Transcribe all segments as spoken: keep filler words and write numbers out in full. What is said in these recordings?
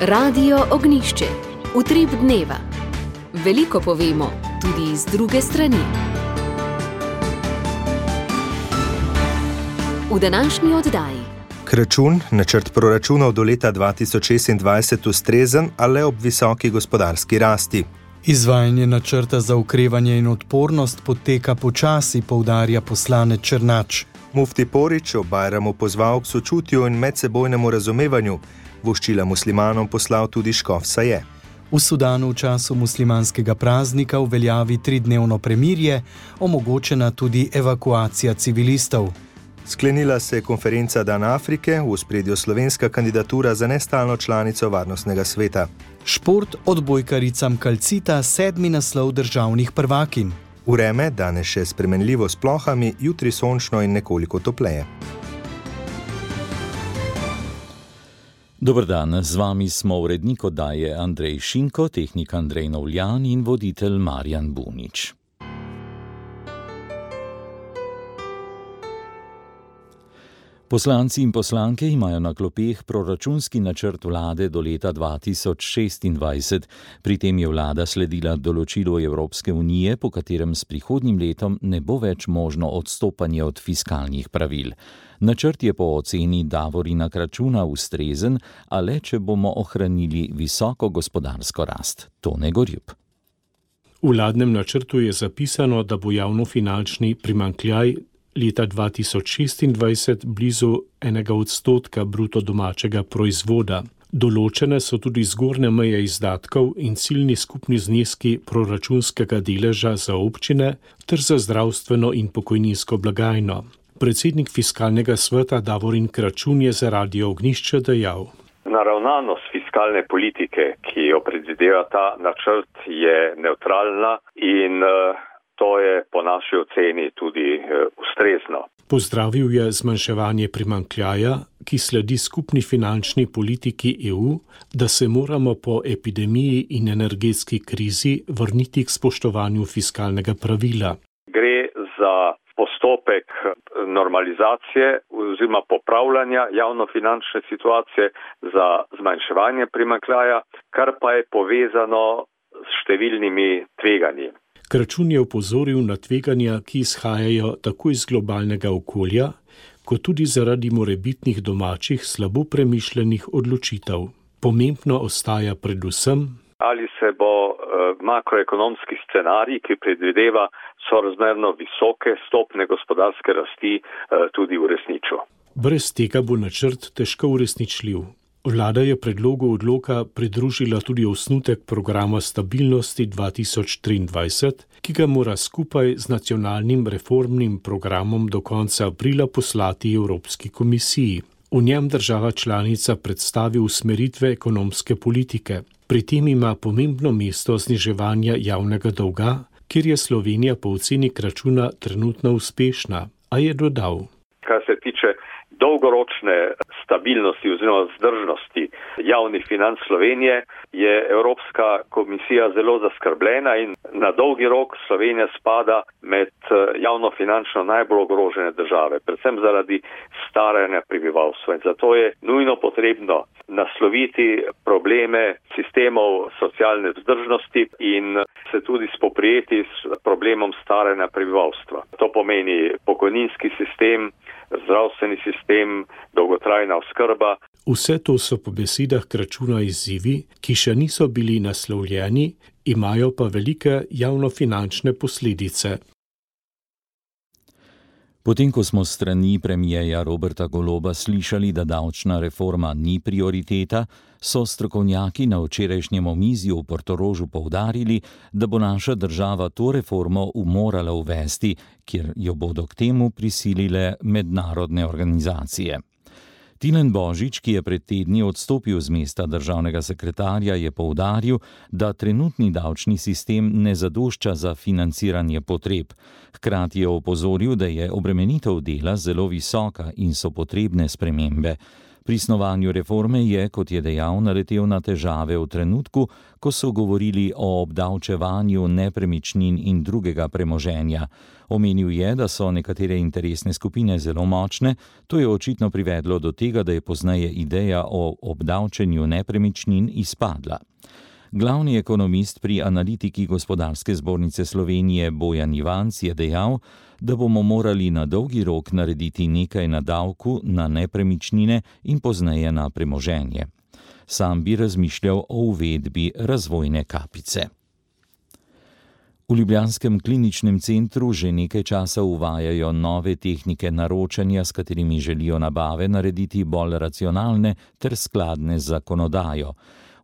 Radio Ognjišče. Utrip dneva. Veliko povemo, tudi iz druge strani. V današnji oddaji. Kračun, načrt proračunov do leta dva tisoč šestindvajset ustrezen, a le ob visoki gospodarski rasti. Izvajanje načrta za okrevanje in odpornost poteka počasi, poudarja poslanec Černač. Mufti Porić ob Bajramu pozval k sočutju in medsebojnemu razumevanju. Voščila muslimanom poslal tudi škof Saje. V Sudanu v času muslimanskega praznika uveljavi tridnevno premirje, omogočena tudi evakuacija civilistov. Sklenila se je konferenca Dan Afrike, v ospredju slovenska kandidatura za nestalno članico Varnostnega sveta. Šport odbojkaricam kalcita sedmi naslov državnih prvakinj. Vreme danes še spremenljivo s plohami, jutri sončno in nekoliko topleje. Dober dan, z vami smo urednik oddaje Andrej Šinko, tehnik Andrej Novljan in voditelj Marjan Bunič. Poslanci in poslanke imajo na klopeh proračunski načrt vlade do leta dva tisoč šestindvajset. Pri tem je vlada sledila določilu Evropske unije, po katerem s prihodnjim letom ne bo več možno odstopanje od fiskalnih pravil. Načrt je po oceni Davorina Kračuna ustrezen, a le če bomo ohranili visoko gospodarsko rast. Tone Gorjup. V vladnem načrtu je zapisano, da bo javnofinančni primanjkljaj leta dva tisoč šestindvajset blizu enega odstotka bruto domačega proizvoda. Določene so tudi zgornje meje izdatkov in ciljni skupni zneski proračunskega deleža za občine ter za zdravstveno in pokojninsko blagajno. Predsednik fiskalnega sveta Davorin Kračun je za Radio Ognjišče dejal: Naravnanost fiskalne politike, ki jo predvideva ta načrt, je nevtralna in uh, to je po naši oceni tudi uh, ustrezno. Pozdravil je zmanjševanje primanjkljaja, ki sledi skupni finančni politiki E U, da se moramo po epidemiji in energetski krizi vrniti k spoštovanju fiskalnega pravila. Gre za postopek normalizacije oziroma popravljanja javnofinančne situacije za zmanjševanje primanjkljaja, kar pa je povezano s številnimi tveganji. Kračun je opozoril na tveganja, ki izhajajo tako iz globalnega okolja, kot tudi zaradi morebitnih domačih slabo premišljenih odločitev. Pomembno ostaja predvsem, ali se bo eh, makroekonomski scenarij, ki predvideva sorazmerno visoke stopne gospodarske rasti, eh, tudi uresničil. Brez tega bo načrt težko uresničljiv. Vlada je predlogu odloka pridružila tudi osnutek programa stabilnosti dva tisoč triindvajset, ki ga mora skupaj z nacionalnim reformnim programom do konca aprila poslati Evropski komisiji. V njem država članica predstavi usmeritve ekonomske politike. Pri tem ima pomembno mesto zniževanja javnega dolga, kjer je Slovenija po oceni Kračuna trenutno uspešna, a je dodal: Kar se tiče dolgoročne stabilnosti oziroma vzdržnosti javnih financ Slovenije, je Evropska komisija zelo zaskrbljena in na dolgi rok Slovenija spada med javnofinančno najbolj ogrožene države, predvsem zaradi staranja prebivalstva. In zato je nujno potrebno nasloviti probleme sistemov socialne vzdržnosti in se tudi spoprijeti s problemom staranja prebivalstva. To pomeni pokojninski sistem, zdravstveni sistem, dolgotrajna oskrba. Vse to so po besedah Kračuna izzivi, ki še niso bili naslovljeni, imajo pa velike javnofinančne posledice. Potem, ko smo s strani premierja Roberta Goloba slišali, da davčna reforma ni prioriteta, so strokovnjaki na včerajšnjem omizju v Portorožu poudarili, da bo naša država to reformo morala uvesti, kjer jo bodo k temu prisilile mednarodne organizacije. Tilen Božič, ki je pred tedni odstopil z mesta državnega sekretarja, je poudaril, da trenutni davčni sistem ne zadošča za financiranje potreb. Hkrati je opozoril, da je obremenitev dela zelo visoka in so potrebne spremembe. Pri snovanju reforme je, kot je dejal, naletel na težave v trenutku, ko so govorili o obdavčevanju nepremičnin in drugega premoženja. Omenil je, da so nekatere interesne skupine zelo močne, to je očitno privedlo do tega, da je pozneje ideja o obdavčenju nepremičnin izpadla. Glavni ekonomist pri analitiki Gospodarske zbornice Slovenije Bojan Ivanc je dejal, da bomo morali na dolgi rok narediti nekaj na davku na nepremičnine in pozneje na premoženje. Sam bi razmišljal o uvedbi razvojne kapice. V ljubljanskem kliničnem centru že nekaj časa uvajajo nove tehnike naročanja, s katerimi želijo nabave narediti bolj racionalne ter skladne z zakonodajo.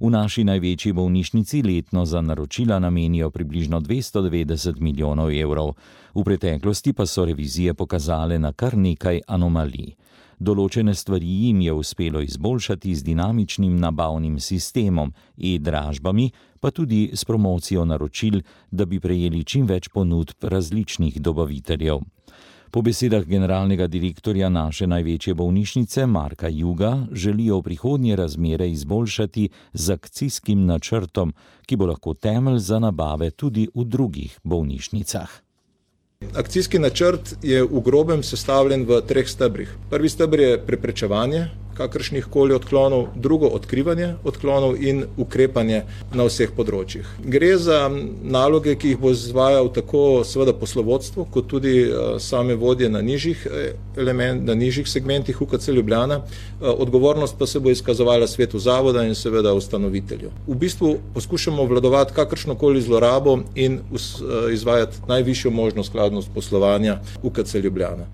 V naši največji bolnišnici letno za naročila namenijo približno dvesto devetdeset milijonov evrov. V preteklosti pa so revizije pokazale na kar nekaj anomalij. Določene stvari jim je uspelo izboljšati z dinamičnim nabavnim sistemom, e-dražbami, pa tudi s promocijo naročil, da bi prejeli čim več ponudb različnih dobaviteljev. Po besedah generalnega direktorja naše največje bolnišnice Marka Juga želijo v prihodnje razmere izboljšati z akcijskim načrtom, ki bo lahko temelj za nabave tudi v drugih bolnišnicah. Akcijski načrt je v grobem sestavljen v treh stebrih. Prvi steber je preprečevanje kakršnih koli odklonov, drugo odkrivanje odklonov in ukrepanje na vseh področjih. Gre za naloge, ki jih bo izvajal tako seveda poslovodstvo, kot tudi same vodje na nižjih element, na nižjih segmentih U K C Ljubljana. Odgovornost pa se bo izkazovala svetu zavoda in seveda ustanovitelju. V bistvu poskušamo obvladovati kakršnokoli zlorabo in izvajati najvišjo možno skladnost poslovanja U K C Ljubljana.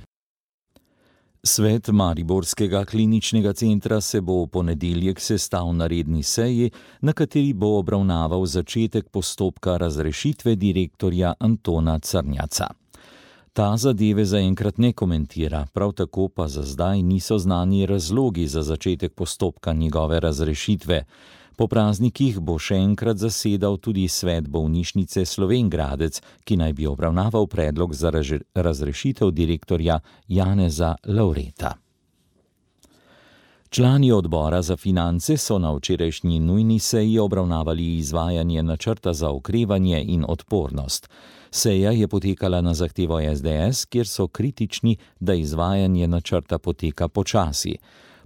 Svet Mariborskega kliničnega centra se bo v ponedeljek sestal na redni seji, na kateri bo obravnaval začetek postopka razrešitve direktorja Antona Crnjaca. Ta zadeve zaenkrat ne komentira, prav tako pa za zdaj niso znani razlogi za začetek postopka njegove razrešitve. Po praznikih bo še enkrat zasedal tudi svet bolnišnice Slovenj Gradec, ki naj bi obravnaval predlog za razrešitev direktorja Janeza Lavreta. Člani odbora za finance so na včerajšnji nujni seji obravnavali izvajanje načrta za okrevanje in odpornost. Seja je potekala na zahtevo S D S, kjer so kritični, da izvajanje načrta poteka počasi.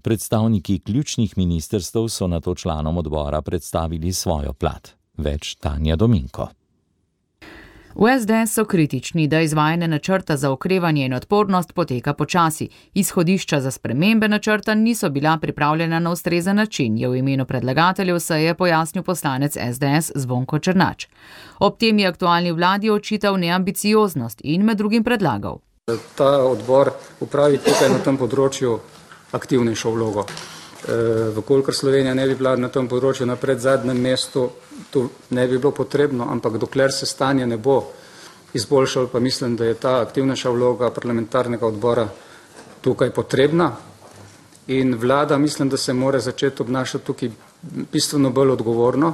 Predstavniki ključnih ministrstev so nato članom odbora predstavili svojo plat. Več Tanja Dominko. V S D S so kritični, da izvajanje načrta za okrevanje in odpornost poteka počasi. Izhodišča za spremembe načrta niso bila pripravljena na ustrezen način, je v imenu predlagateljev seje pojasnil poslanec S D S Zvonko Černač. Ob tem je aktualni vladi očital neambicioznost in med drugim predlagal. Ta odbor upravi tukaj na tem področju aktivnejšo vlogo. E, Vkolikor Slovenija ne bi bila na tem področju na predzadnjem mestu, to ne bi bilo potrebno, ampak dokler se stanje ne bo izboljšalo, pa mislim, da je ta aktivnejša vloga parlamentarnega odbora tukaj potrebna. In vlada mislim, da se mora začeti obnašati tukaj bistveno bolj odgovorno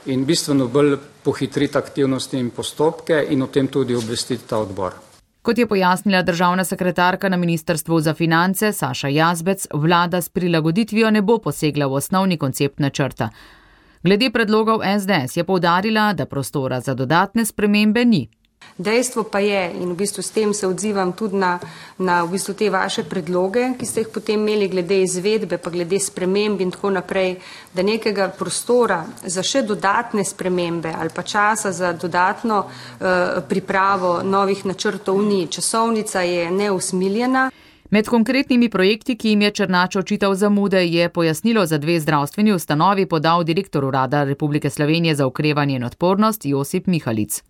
in bistveno bolj pohitriti aktivnosti in postopke in o tem tudi obvestiti ta odbor. Kot je pojasnila državna sekretarka na Ministrstvu za finance Saša Jazbec, vlada s prilagoditvijo ne bo posegla v osnovni koncept načrta. Glede predlogov S D S je poudarila, da prostora za dodatne spremembe ni. Dejstvo pa je, in v bistvu s tem se odzivam tudi na, na v bistvu te vaše predloge, ki ste jih potem imeli glede izvedbe, pa glede sprememb in tako naprej, da nekega prostora za še dodatne spremembe ali pa časa za dodatno uh, pripravo novih načrtov ni. Časovnica je neusmiljena. Med konkretnimi projekti, ki jim je Černač očital zamude, je pojasnilo za dve zdravstveni ustanovi podal direktor Urada Republike Slovenije za okrevanje in odpornost Josip Mihalic.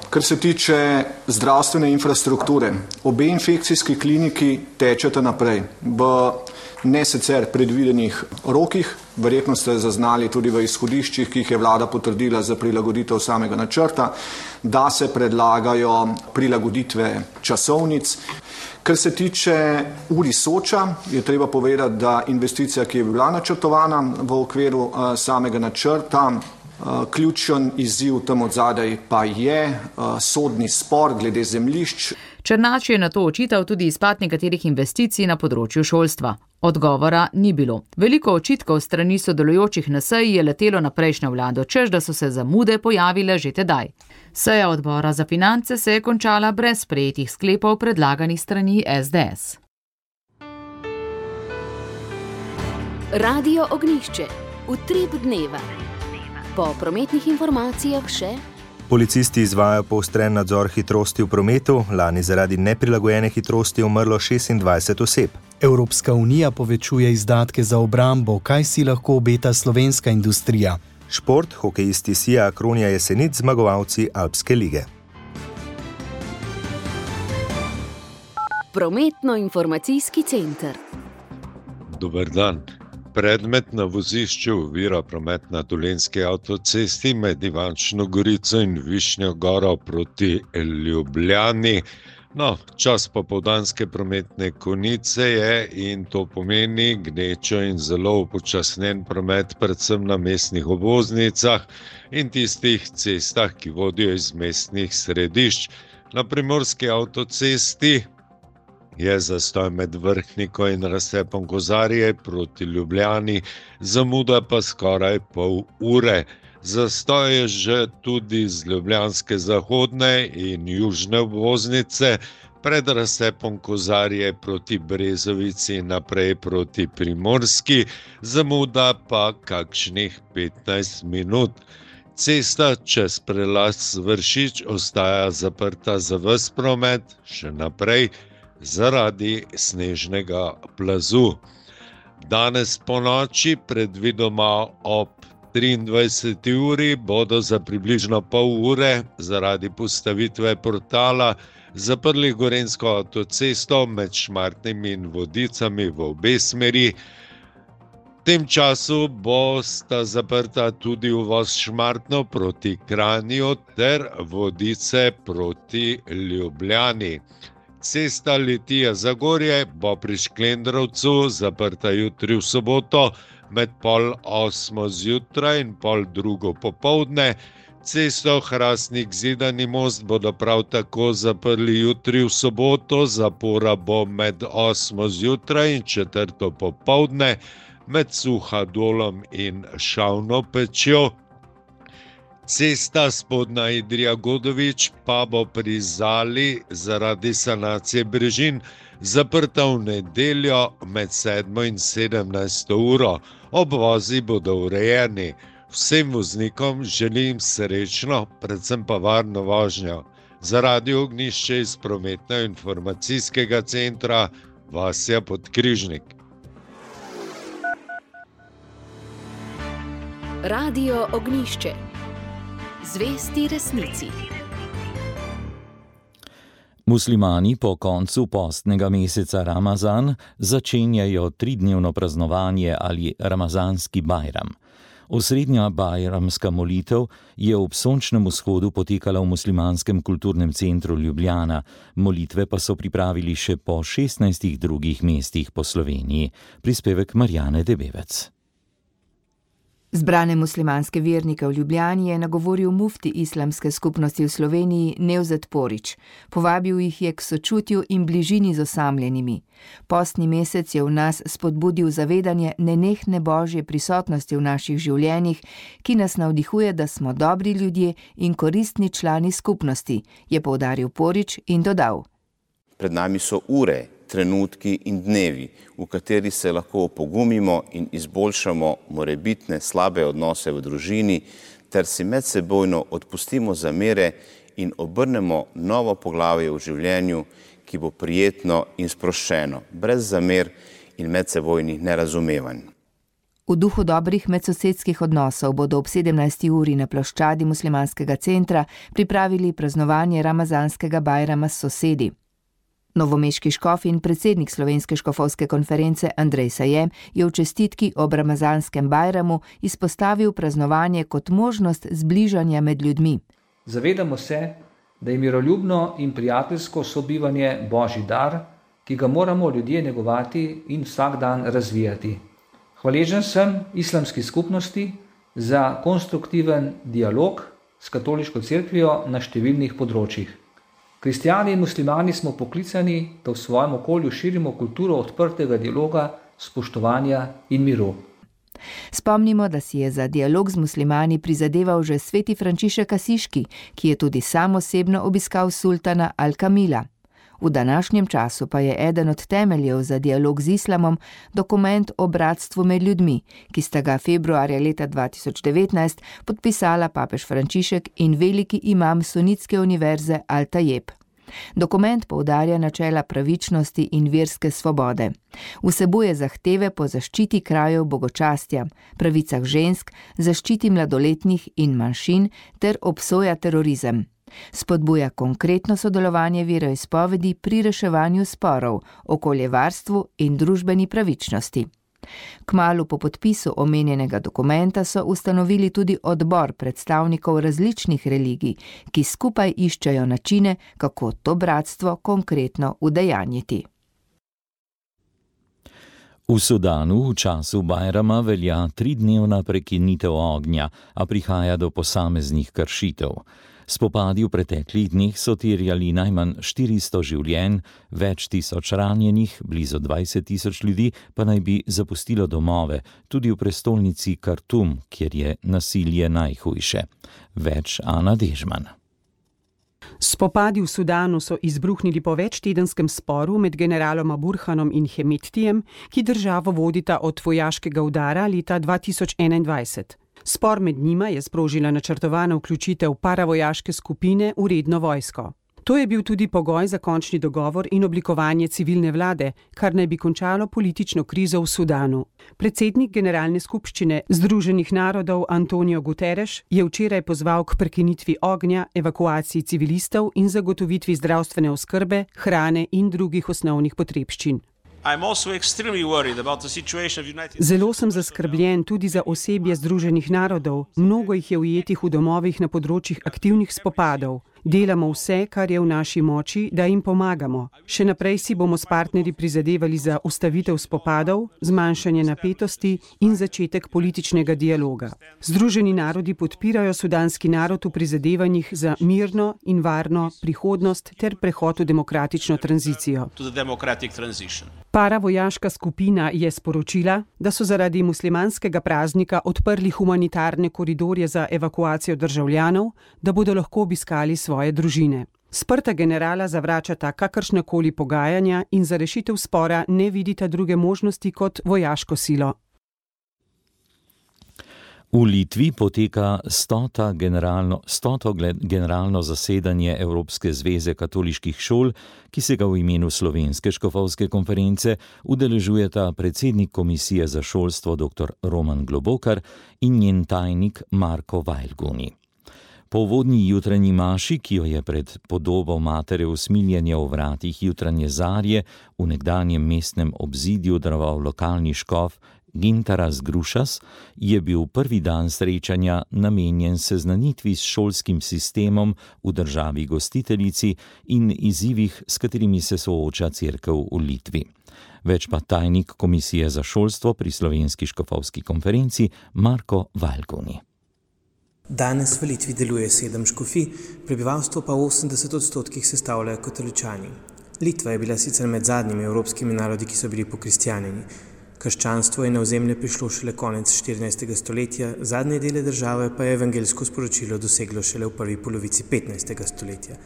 Kar se tiče zdravstvene infrastrukture, obe infekcijski kliniki tečeta naprej v ne sicer predvidenih rokih, verjetno ste zaznali tudi v izhodiščih, ki jih je vlada potrdila za prilagoditev samega načrta, da se predlagajo prilagoditve časovnic. Kar se tiče U R I Soča, je treba povedati, da investicija, ki je bila načrtovana v okviru uh, samega načrta, Ključen izziv tam odzadaj pa je sodni spor glede zemljišč. Černač je na to očital tudi izpad nekaterih investicij na področju šolstva. Odgovora ni bilo. Veliko očitkov strani sodelujočih na seji je letelo na prejšnjo vlado, češ da so se zamude pojavile že tedaj. Seja odbora za finance se je končala brez sprejetih sklepov predlaganih strani es de es. Radio Ognjišče. Utrip dneva. Po prometnih informacijah še. Policisti izvajajo poostren nadzor hitrosti v prometu, lani zaradi neprilagojene hitrosti umrlo šestindvajset oseb. Evropska unija povečuje izdatke za obrambo, kaj si lahko obeta slovenska industrija. Šport, hokejisti Sija Akronija Jesenic, zmagovalci Alpske lige. Prometno-informacijski center. Dober dan. Predmet na vozišču ovira promet na Dolenjski avtocesti med Ivančno Gorico in Višnjo Goro proti Ljubljani. No, čas popoldanske prometne konice je in to pomeni gnečo in zelo upočasnjen promet predvsem na mestnih obvoznicah in tistih cestah, ki vodijo iz mestnih središč. Na primorski avtocesti je zastoj med Vrhniko in razcepom Kozarje proti Ljubljani, zamuda pa skoraj pol ure. Zastoj je že tudi z ljubljanske zahodne in južne obvoznice, pred razcepom Kozarje proti Brezovici in naprej proti Primorski, zamuda pa kakšnih petnajst minut. Cesta čez prelaz Vršič ostaja zaprta za ves promet, še naprej, zaradi snežnega plazu. Danes po noči, predvidoma ob triindvajseti uri, bodo za približno pol ure zaradi postavitve portala zaprli Gorenjsko avtocesto med Šmartnim in Vodicami v obe smeri. V tem času bosta zaprta tudi uvoz Šmartno proti Kranju ter Vodice proti Ljubljani. Cesta Litija-Zagorje bo pri Šklendrovcu zaprta jutri v soboto med pol osmo zjutraj in pol drugo popoldne. Cesto Hrastnik-Zidani most bodo prav tako zaprli jutri v soboto, zapora bo med osmo zjutraj in četrto popoldne med Suhadolom in Šavno pečjo. Cesta Spodnja Idrija-Godovič pa bo pri Zali zaradi sanacije brežin zaprta v nedeljo med sedmo in sedemnajsto uro. Obvozi bodo urejeni. Vsem voznikom želim srečno, predvsem pa varno vožnjo. Za Radio Ognjišče iz prometno-informacijskega centra Vasja Podkrižnik. Radio Ognjišče. Zvesti resnici. Muslimani po koncu postnega meseca Ramazan začenjajo tridnevno praznovanje ali ramazanski bajram. Osrednja bajramska molitev je ob sončnem vzhodu potekala v muslimanskem kulturnem centru Ljubljana, molitve pa so pripravili še po šestnajstih drugih mestih po Sloveniji. Prispevek Marjane Debevec. Zbrane muslimanske vernike v Ljubljani je nagovoril mufti islamske skupnosti v Sloveniji Nevzet Porić. Povabil jih je k sočutju in bližini z osamljenimi. Postni mesec je v nas spodbudil zavedanje nenehne božje prisotnosti v naših življenjih, ki nas navdihuje, da smo dobri ljudje in koristni člani skupnosti, je poudaril Porić in dodal. Pred nami so ure, trenutki in dnevi, v kateri se lahko opogumimo in izboljšamo morebitne slabe odnose v družini, ter si medsebojno odpustimo zamere in obrnemo novo poglavje v življenju, ki bo prijetno in sproščeno, brez zamer in medsebojnih nerazumevanj. V duhu dobrih medsosedskih odnosov bodo ob sedemnajsti uri na ploščadi muslimanskega centra pripravili praznovanje ramazanskega bajrama s sosedi. Novomeški škof in predsednik Slovenske škofovske konference Andrej Sajem je v čestitki ob ramazanskem bajramu izpostavil praznovanje kot možnost zbližanja med ljudmi. Zavedamo se, da je miroljubno in prijateljsko sobivanje božji dar, ki ga moramo ljudje negovati in vsak dan razvijati. Hvaležen sem islamski skupnosti za konstruktiven dialog s katoliško cerkvijo na številnih področjih. Kristjani in muslimani smo poklicani, da v svojem okolju širimo kulturo odprtega dialoga, spoštovanja in miru. Spomnimo, da si je za dialog z muslimani prizadeval že sveti Frančišek Asiški, ki je tudi sam osebno obiskal sultana Al-Kamila. V današnjem času pa je eden od temeljev za dialog z islamom dokument o bratstvu med ljudmi, ki sta ga februarja leta dva tisoč devetnajst podpisala papež Frančišek in veliki imam sunitske univerze Al-Tajeb. Dokument poudarja načela pravičnosti in verske svobode. Vsebuje zahteve po zaščiti krajev bogočastja, pravicah žensk, zaščiti mladoletnih in manjšin ter obsoja terorizem. Spodbuja konkretno sodelovanje veroizpovedi pri reševanju sporov, okoljevarstvu in družbeni pravičnosti. Kmalu po podpisu omenjenega dokumenta so ustanovili tudi odbor predstavnikov različnih religij, ki skupaj iščejo načine, kako to bratstvo konkretno udejanjiti. V Sudanu v času Bajrama velja tridnevna prekinitev ognja, a prihaja do posameznih kršitev. Spopadi v preteklih dneh so terjali najmanj štiristo življenj, več tisoč ranjenih, blizu dvajset tisoč ljudi pa naj bi zapustilo domove, tudi v prestolnici Kartum, kjer je nasilje najhujše. Več Ana Dežman. Spopadi v Sudanu so izbruhnili po večtedenskem sporu med generaloma Burhanom in Hemettijem, ki državo vodita od vojaškega udara leta dva tisoč enaindvajset. Spor med njima je sprožila načrtovana vključitev paravojaške skupine v redno vojsko. To je bil tudi pogoj za končni dogovor in oblikovanje civilne vlade, kar naj bi končalo politično krizo v Sudanu. Predsednik Generalne skupščine Združenih narodov Antonio Guterres je včeraj pozval k prekinitvi ognja, evakuaciji civilistov in zagotovitvi zdravstvene oskrbe, hrane in drugih osnovnih potrebščin. Zelo sem zaskrbljen tudi za osebje Združenih narodov, mnogo jih je ujetih v domovih na področjih aktivnih spopadov. Delamo vse, kar je v naši moči, da jim pomagamo. Še naprej si bomo s partnerji prizadevali za ustavitev spopadov, zmanjšanje napetosti in začetek političnega dialoga. Združeni narodi podpirajo sudanski narod v prizadevanjih za mirno in varno prihodnost ter prehod v demokratično tranzicijo. Paravojaška skupina je sporočila, da so zaradi muslimanskega praznika odprli humanitarne koridorje za evakuacijo državljanov, da bodo lahko obiskali svoje družine. Sprta generala zavračata kakršnakoli pogajanja in za rešitev spora ne vidita druge možnosti kot vojaško silo. V Litvi poteka stota generalno, stoto generalno zasedanje Evropske zveze katoliških šol, ki se ga v imenu Slovenske škofovske konference udeležujeta predsednik Komisije za šolstvo dr. Roman Globokar in njen tajnik Marko Vajlguni. Po uvodni jutranji maši, ki jo je pred podobo matere usmiljenja v vratih jutranje zarje v nekdanjem mestnem obzidju daroval lokalni škof Gintaras Grušas, je bil prvi dan srečanja namenjen seznanitvi s šolskim sistemom v državi gostiteljici in izzivih, s katerimi se sooča cerkev v Litvi. Več pa tajnik Komisije za šolstvo pri Slovenski škofovski konferenci Marko Vajlguni. Danes v Litvi deluje sedem škofij, prebivalstvo pa v osemdeset odstotkih sestavljajo katoličani. Litva je bila sicer med zadnjimi evropskimi narodi, ki so bili pokristjanjeni. Krščanstvo je na ozemlje prišlo šele konec štirinajstega stoletja, zadnje dele države pa je evangeljsko sporočilo doseglo šele v prvi polovici petnajstega stoletja.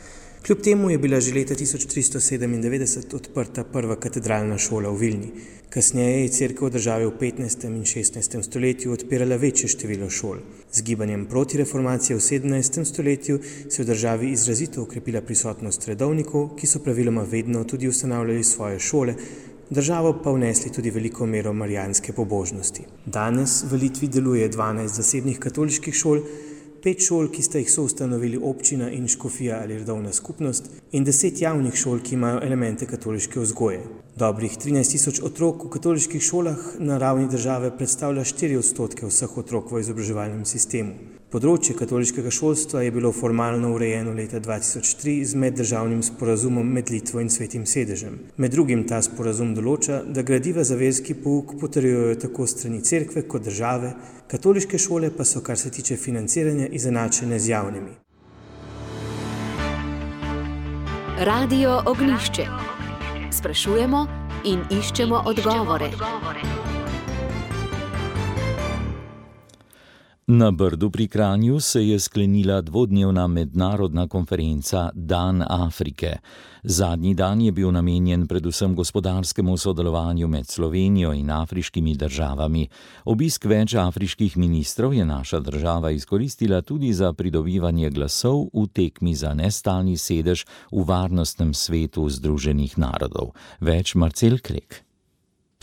Kljub temu je bila že leta tisoč tristo sedemindevetdeset odprta prva katedralna šola v Vilni. Kasneje je cerkev v državi v petnajstem in šestnajstem stoletju odpirala večje število šol. Z gibanjem proti reformaciji v sedemnajstem stoletju se je v državi izrazito okrepila prisotnost redovnikov, ki so praviloma vedno tudi ustanavljali svoje šole, državo pa vnesli tudi veliko mero marijanske pobožnosti. Danes v Litvi deluje dvanajst zasebnih katoliških šol, pet šol, ki sta jih soustanovili občina in škofija ali redovna skupnost, in deset javnih šol, ki imajo elemente katoliške vzgoje. Dobrih trinajst tisoč otrok v katoliških šolah na ravni države predstavlja štiri odstotke vseh otrok v izobraževalnem sistemu. Področje katoliškega šolstva je bilo formalno urejeno leta dva tisoč tri z meddržavnim sporazumom med Litvo in Svetim sedežem. Med drugim ta sporazum določa, da gradiva za verski pouk potrjujejo tako strani cerkve kot države, katoliške šole pa so, kar se tiče financiranja, izenačene z javnimi. Radio Ognjišče. Sprašujemo in iščemo odgovore. Na Brdu pri Kranju se je sklenila dvodnevna mednarodna konferenca Dan Afrike. Zadnji dan je bil namenjen predvsem gospodarskemu sodelovanju med Slovenijo in afriškimi državami. Obisk več afriških ministrov je naša država izkoristila tudi za pridobivanje glasov v tekmi za nestalni sedež v Varnostnem svetu Združenih narodov. Več Marcel Krek.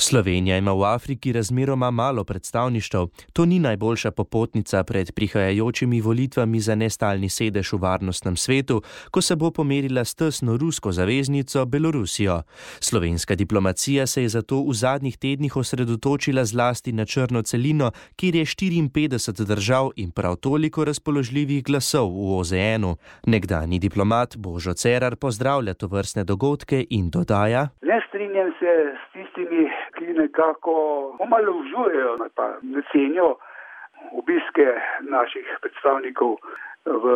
Slovenija ima v Afriki razmeroma malo predstavništev. To ni najboljša popotnica pred prihajajočimi volitvami za nestalni sedež v Varnostnem svetu, ko se bo pomerila s tesno rusko zaveznico Belorusijo. Slovenska diplomacija se je zato v zadnjih tednih osredotočila zlasti na črno celino, kjer je štiriinpetdeset držav in prav toliko razpoložljivih glasov v O Z N-u. Nekdanji diplomat Božo Cerar pozdravlja tovrstne dogodke in dodaja: Ne strinjam se s tistimi, ki nekako omalovažujejo, pa ne cenijo obiske naših predstavnikov v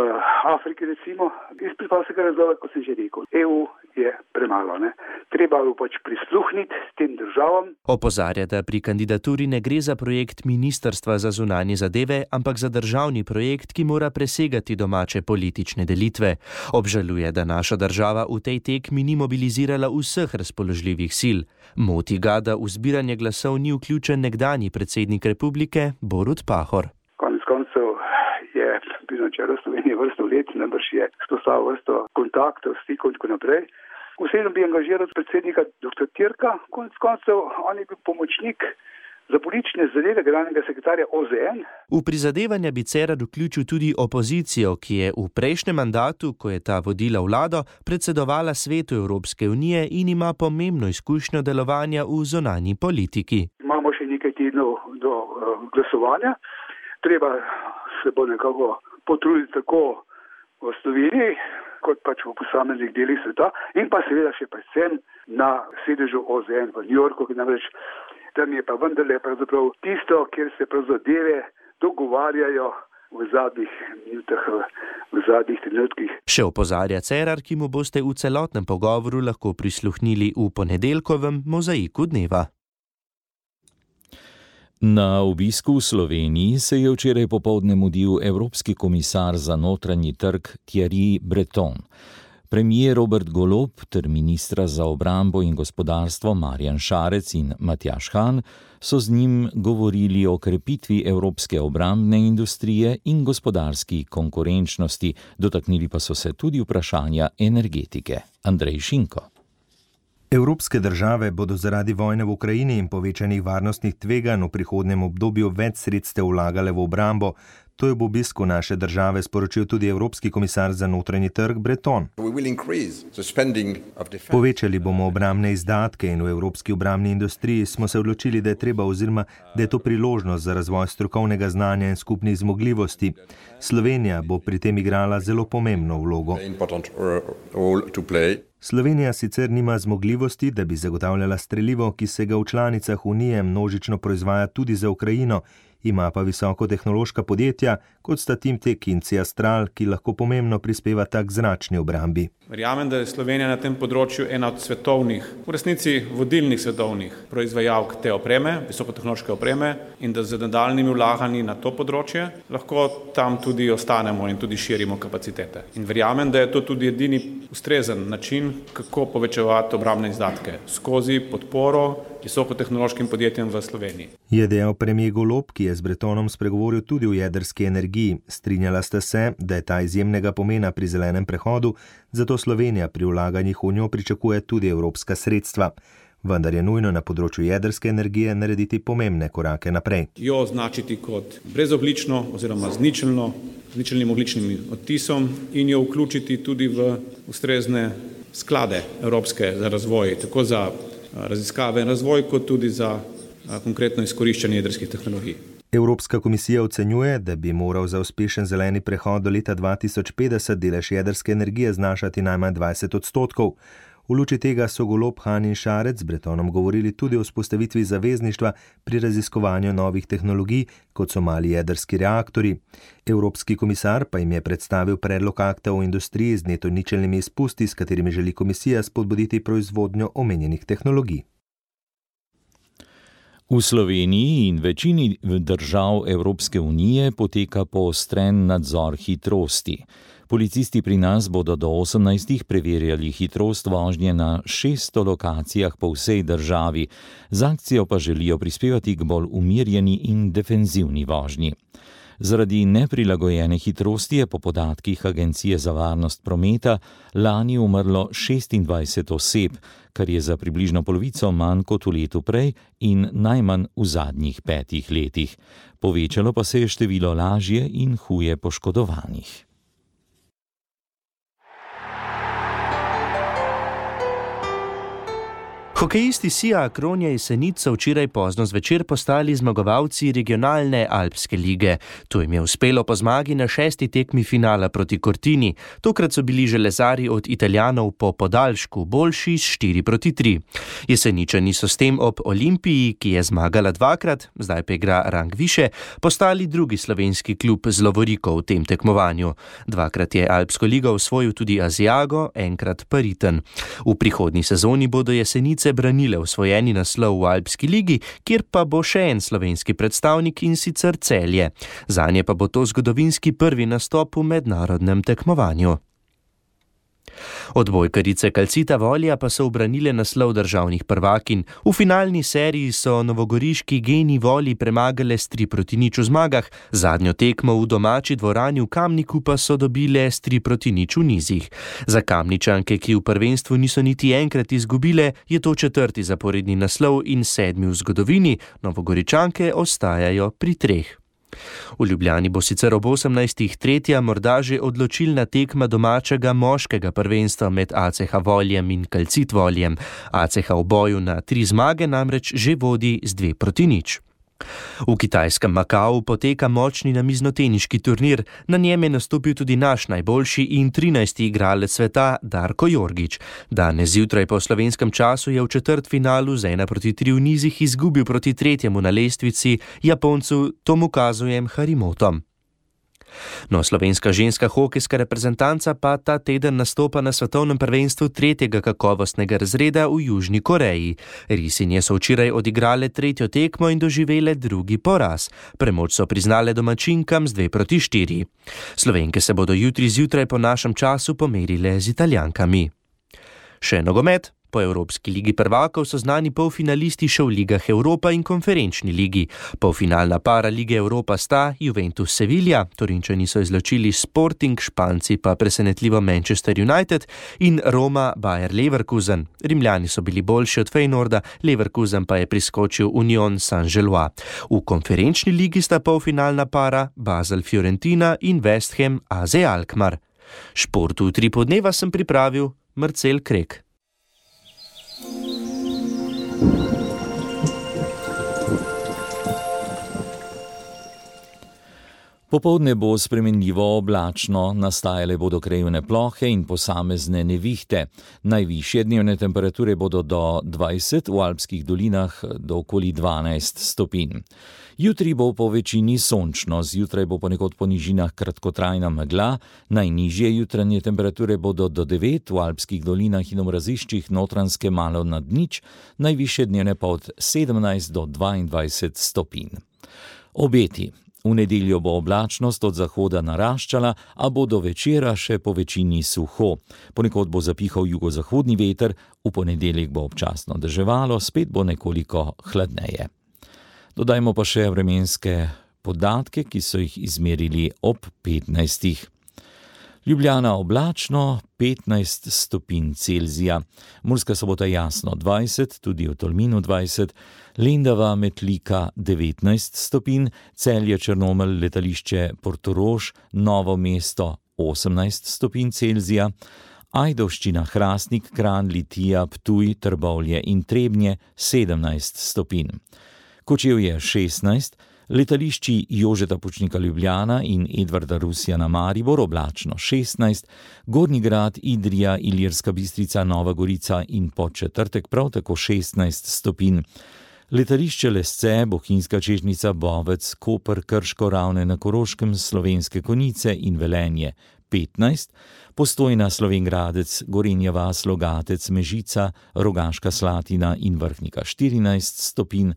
Afriki, recimo, iz preprostega razloga, kot sem že rekel. E U je premalo, ne? Treba jo pač prisluhniti tem državam. Opozarja, da pri kandidaturi ne gre za projekt Ministrstva za zunanje zadeve, ampak za državni projekt, ki mora presegati domače politične delitve. Obžaluje, da naša država v tej tekmi ni mobilizirala vseh razpoložljivih sil. Moti ga, da v zbiranje glasov ni vključen nekdanji predsednik republike Borut Pahor. Konec koncev je bil na čelu Slovenije vrsto let, najbrž je spostavil vrsto kontaktov, stikov in tako naprej. Vseeno bi angažiral predsednika doktor Tirka, konec koncev on je bil pomočnik za politične zadeve generalnega sekretarja O Z N. V prizadevanja bi Cerar vključil tudi opozicijo, ki je v prejšnjem mandatu, ko je ta vodila vlado, predsedovala Svetu Evropske unije in ima pomembno izkušnjo delovanja v zunanji politiki. Imamo še nekaj tednov do uh, glasovanja. Treba se bo nekako potruditi tako v Sloveniji, kot pač v posameznih delih sveta in pa seveda še predvsem na sedežu O Z N v New Yorku, ki namreč tam je pa vendarle pravzaprav tisto, kjer se prav zadeve dogovarjajo v zadnjih minutah, v zadnjih trenutkih. Še opozarja Cerar, ki mu boste v celotnem pogovoru lahko prisluhnili v ponedeljkovem Mozaiku dneva. Na obisku v Sloveniji se je včeraj popoldne mudil evropski komisar za notranji trg Thierry Breton. Premijer Robert Golob ter ministra za obrambo in gospodarstvo Marjan Šarec in Matjaž Han so z njim govorili o krepitvi evropske obrambne industrije in gospodarski konkurenčnosti, dotaknili pa so se tudi vprašanja energetike. Andrej Šinko. Evropske države bodo zaradi vojne v Ukrajini in povečanih varnostnih tveganj v prihodnjem obdobju več sredstev vlagale v obrambo. To je v obisku naše države sporočil tudi evropski komisar za notranji trg Breton. Povečali bomo obrambne izdatke in v evropski obrambni industriji smo se odločili, da je treba oziroma da je to priložnost za razvoj strokovnega znanja in skupnih zmogljivosti. Slovenija bo pri tem igrala zelo pomembno vlogo. Slovenija sicer nima zmogljivosti, da bi zagotavljala strelivo, ki se ga v članicah Unije množično proizvaja tudi za Ukrajino, ima pa visokotehnološka podjetja, kot sta Timtek in Ciastral, ki lahko pomembno prispevata k zračni obrambi. Verjamem, da je Slovenija na tem področju ena od svetovnih, v resnici vodilnih svetovnih proizvajalk te opreme, visokotehnološke opreme, in da z nadaljnjimi vlaganji na to področje lahko tam tudi ostanemo in tudi širimo kapacitete. In verjamem, da je to tudi edini ustrezen način, kako povečevati obrambne izdatke skozi podporo visokotehnološkim podjetjem v Sloveniji. Je dejal premier Golob, ki je z Bretonom spregovoril tudi o jedrski energiji. Strinjala sta se, da je ta izjemnega pomena pri zelenem prehodu, zato Slovenija pri vlaganjih v njo pričakuje tudi evropska sredstva. Vendar je nujno na področju jedrske energije narediti pomembne korake naprej. Jo označiti kot brezoglično oziroma z ničelno, z ničelnim ogličnim odtisom in jo vključiti tudi v ustrezne sklade evropske za razvoj, tako za raziskave in razvoj, kot tudi za konkretno izkoriščanje jedrskih tehnologij. Evropska komisija ocenjuje, da bi moral za uspešen zeleni prehod do leta dva tisoč petdeset delež jedrske energije znašati najmanj dvajset odstotkov. V luči tega so Golob, Han in Šarec z Bretonom govorili tudi o vzpostavitvi zavezništva pri raziskovanju novih tehnologij, kot so mali jedrski reaktorji. Evropski komisar pa jim je predstavil predlog akta o industriji z neto ničelnimi izpusti, s katerimi želi komisija spodbuditi proizvodnjo omenjenih tehnologij. V Sloveniji in večini držav Evropske unije poteka poostren nadzor hitrosti. Policisti pri nas bodo do osemnajstih preverjali hitrost vožnje na šeststo lokacijah po vsej državi. Z akcijo pa želijo prispevati k bolj umirjeni in defenzivni vožnji. Zaradi neprilagojene hitrosti je po podatkih Agencije za varnost prometa lani umrlo šestindvajset oseb, kar je za približno polovico manj kot v letu prej in najmanj v zadnjih petih letih. Povečalo pa se je število lažje in huje poškodovanih. Hokejisti Sija Akron iz Senic so včeraj pozno zvečer postali zmagovalci regionalne Alpske lige. To jim je uspelo po zmagi na šesti tekmi finala proti Cortini. Tokrat so bili železari od Italijanov po podaljšku boljši s štiri proti tri. Jeseničani so s tem ob Olimpiji, ki je zmagala dvakrat, zdaj pa igra rang više, postali drugi slovenski klub z lovoriko v tem tekmovanju. Dvakrat je Alpsko ligo osvojil tudi Asiago, enkrat pa Ritem. V prihodnji sezoni bodo Jesenice branile osvojeni naslov v Alpski ligi, kjer pa bo še en slovenski predstavnik in sicer Celje. Zanje pa bo to zgodovinski prvi nastop v mednarodnem tekmovanju. Odbojkarice Calcita Volja pa so ubranile naslov državnih prvakinj. V finalni seriji so novogoriški Geni Volji premagale s tri proti nič v zmagah, zadnjo tekmo v domači dvorani v Kamniku pa so dobile s tri proti nič v nizih. Za Kamničanke, ki v prvenstvu niso niti enkrat izgubile, je to četrti zaporedni naslov in sedmi v zgodovini, Novogoričanke ostajajo pri treh. V Ljubljani bo sicer ob osemnajstih tretja morda že odločilna tekma domačega moškega prvenstva med A C H Voljem in Calcit Voljem. A C H v boju na tri zmage namreč že vodi z dve proti nič. V kitajskem Makau poteka močni namiznoteniški turnir, na njem je nastopil tudi naš najboljši in trinajsti igralec sveta Darko Jorgić. Danes zjutraj po slovenskem času je v četrtfinalu z ena proti tri v nizih izgubil proti tretjemu na lestvici Japoncu Tomokazujem Harimotom. No, slovenska ženska hokejska reprezentanca pa ta teden nastopa na svetovnem prvenstvu tretjega kakovostnega razreda v Južni Koreji. Risinje so včeraj odigrale tretjo tekmo in doživele drugi poraz. Premoč so priznale domačinkam z dve proti štiri. Slovenke se bodo jutri zjutraj po našem času pomerile z Italijankami. Še nogomet. Po Evropski ligi prvakov so znani polfinalisti še v ligah Evropa in konferenčni ligi. Polfinalna para lige Evropa sta Juventus Sevilla, Torinčani so izločili Sporting, Španci pa presenetljivo Manchester United in Roma Bayer Leverkusen. Rimljani so bili boljši od Feynorda, Leverkusen pa je priskočil Union Saint-Gilloise. V konferenčni ligi sta polfinalna para Basel Fiorentina in West Ham A Z Alkmaar. Športu v tri podneva sem pripravil Marcel Krek. Popoldne bo spremenljivo oblačno, nastajale bodo krajevne plohe in posamezne nevihte. Najvišje dnevne temperature bodo do dvajset, v alpskih dolinah do okoli dvanajst stopinj. Jutri bo po večini sončno, zjutraj bo ponekod po nižinah kratkotrajna megla, najnižje jutranje temperature bodo do devet, v alpskih dolinah in v raziščih Notranjske malo nad nič, najvišje dnevne pa od sedemnajst do dvaindvajset stopinj. Obeti. V nedeljo bo oblačnost od zahoda naraščala, a bo do večera še po večini suho. Ponekod bo zapihal jugozahodni veter, v ponedeljek bo občasno deževalo, spet bo nekoliko hladneje. Dodajmo pa še vremenske podatke, ki so jih izmerili ob petnajstih. Ljubljana oblačno, petnajst stopinj Celzija, Murska Sobota jasno dvajset, tudi v Tolminu dvajset, Lendava Metlika devetnajst stopinj, Celje Črnomelj letališče Portorož, Novo mesto osemnajst stopinj Celzija, Ajdovščina Hrastnik, Kranj, Litija, Ptuj, Trbovlje in Trebnje sedemnajst stopinj. Kočevje šestnajst, Letališči Jožeta Pučnika Ljubljana in Edvarda Rusjana Maribor oblačno šestnajst, Gornji Grad, Idrija, Ilirska Bistrica, Nova Gorica in Podčetrtek prav tako šestnajst stopinj. Letališče Lesce, Bohinjska Čežnica, Bovec, Koper, Krško, Ravne na Koroškem, Slovenske Konjice in Velenje petnajst, Postojna, Slovenj Gradec, Gorenja vas, Logatec, Mežica, Rogaška Slatina in Vrhnika štirinajst stopinj,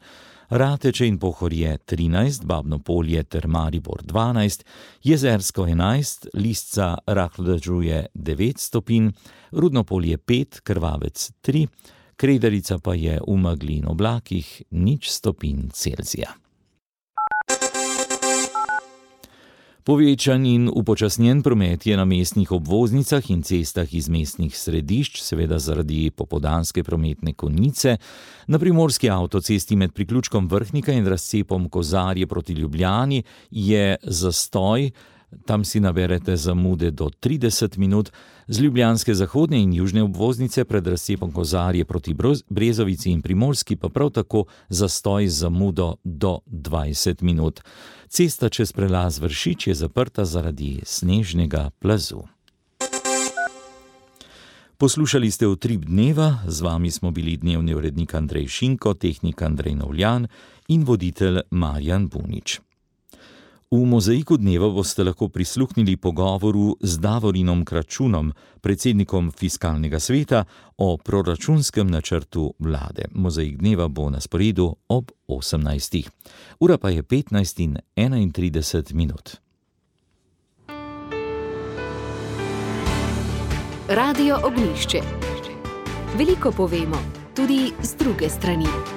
Rateče in Pohorje trinajst, Babno Polje ter Maribor dvanajst, Jezersko enajst, Lisca, rahlo dežuje devet stopinj, Rudno Polje pet, Krvavec tri, Kredarica pa je v megli in oblakih nič stopinj Celzija. Povečan in upočasnjen promet je na mestnih obvoznicah in cestah iz mestnih središč, seveda zaradi popoldanske prometne konice. Na primorski avtocesti med priključkom Vrhnika in razcepom Kozarje proti Ljubljani je zastoj, tam si naberete zamude do trideset minut, z ljubljanske zahodne in južne obvoznice pred razcepom Kozarje proti Brezovici in Primorski pa prav tako zastoj z zamudo do dvajset minut. Cesta čez prelaz Vršič je zaprta zaradi snežnega plazu. Poslušali ste Utrip dneva, z vami smo bili dnevni urednik Andrej Šinko, tehnik Andrej Novljan in voditelj Marjan Bunič. V Mozaiku dneva boste lahko prisluhnili pogovoru z Davorinom Kračunom, predsednikom Fiskalnega sveta, o proračunskem načrtu vlade. Mozaik dneva bo na sporedu ob osemnajstih. Ura pa je petnajst in enaintrideset minut. Radio Ognjišče. Veliko povemo, tudi z druge strani.